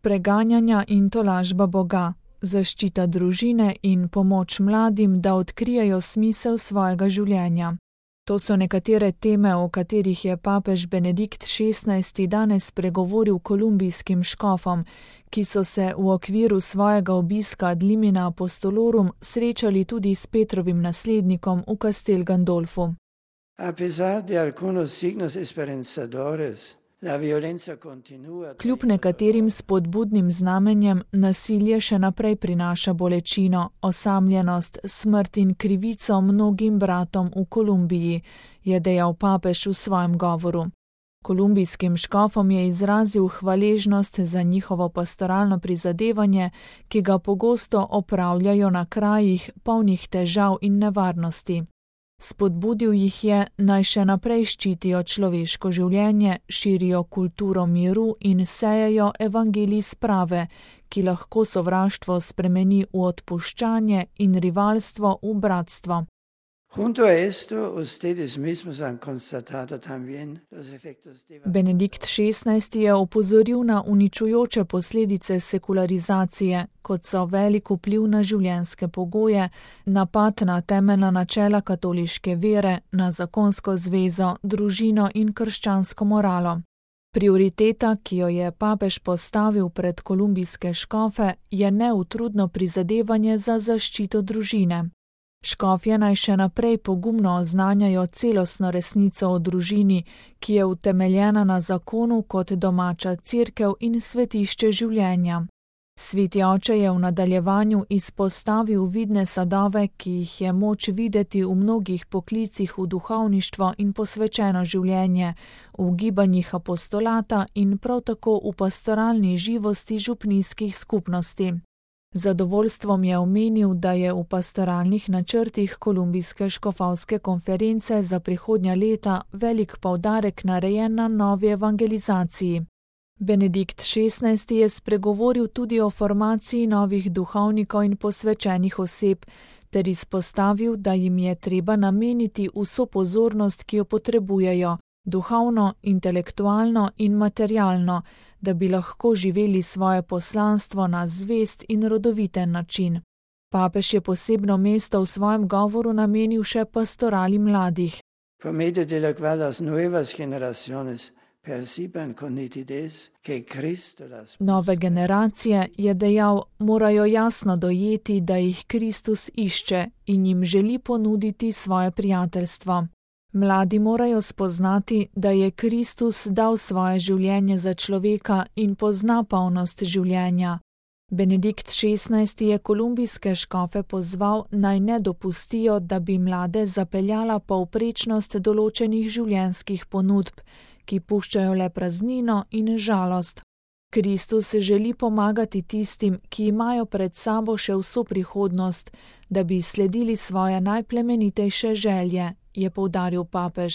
preganjanja in tolažba Boga, zaščita družine in pomoč mladim, da odkrijejo smisel svojega življenja. To so nekatere teme, o katerih je papež Benedikt XVI danes spregovoril kolumbijskim škofom, ki so se v okviru svojega obiska ad limina apostolorum srečali tudi s Petrovim naslednikom v Castel Gandolfu. Kljub nekaterim spodbudnim znamenjem nasilje še naprej prinaša bolečino, osamljenost, smrt in krivico mnogim bratom v Kolumbiji, je dejal papež v svojem govoru. Kolumbijskim škofom je izrazil hvaležnost za njihovo pastoralno prizadevanje, ki ga pogosto opravljajo na krajih, polnih težav in nevarnosti. Spodbudil jih je, naj še naprej ščitijo človeško življenje, širijo kulturo miru in sejejo evangelij sprave, ki lahko sovraštvo spremeni v odpuščanje in rivalstvo v bratstvo. Benedikt XVI je opozoril na uničujoče posledice sekularizacije, kot so velik vpliv na življenjske pogoje, napad na temeljna načela katoliške vere, na zakonsko zvezo, družino in krščansko moralo. Prioriteta, ki jo je papež postavil pred kolumbijske škofe, je neutrudno prizadevanje za zaščito družine. Škofje naj še naprej pogumno oznanjajo celostno resnico o družini, ki je utemeljena na zakonu kot domača cerkev in svetišče življenja. Sveti oče je v nadaljevanju izpostavil vidne sadove, ki jih je moč videti v mnogih poklicih v duhovništvo in posvečeno življenje, v gibanjih apostolata in prav tako v pastoralni živosti župnijskih skupnosti. Zadovoljstvom je omenil, da je v pastoralnih načrtih Kolumbijske škofovske konference za prihodnja leta velik poudarek narejen na novi evangelizaciji. Benedikt XVI je spregovoril tudi o formaciji novih duhovnikov in posvečenih oseb, ter izpostavil, da jim je treba nameniti vso pozornost, ki jo potrebujejo, duhovno, intelektualno in materialno, da bi lahko živeli svoje poslanstvo na zvest in rodoviten način. Papež je posebno mesto v svojem govoru namenil še pastorali mladih. Nove generacije, je dejal, morajo jasno dojeti, da jih Kristus išče in jim želi ponuditi svoje prijateljstvo. Mladi morajo spoznati, da je Kristus dal svoje življenje za človeka in pozna polnost življenja. Benedikt XVI je kolumbijske škofe pozval, naj ne dopustijo, da bi mlade zapeljala povprečnost določenih življenjskih ponudb, ki puščajo le praznino in žalost. Kristus želi pomagati tistim, ki imajo pred sabo še vso prihodnost, da bi sledili svoje najplemenitejše želje, je poudaril papež.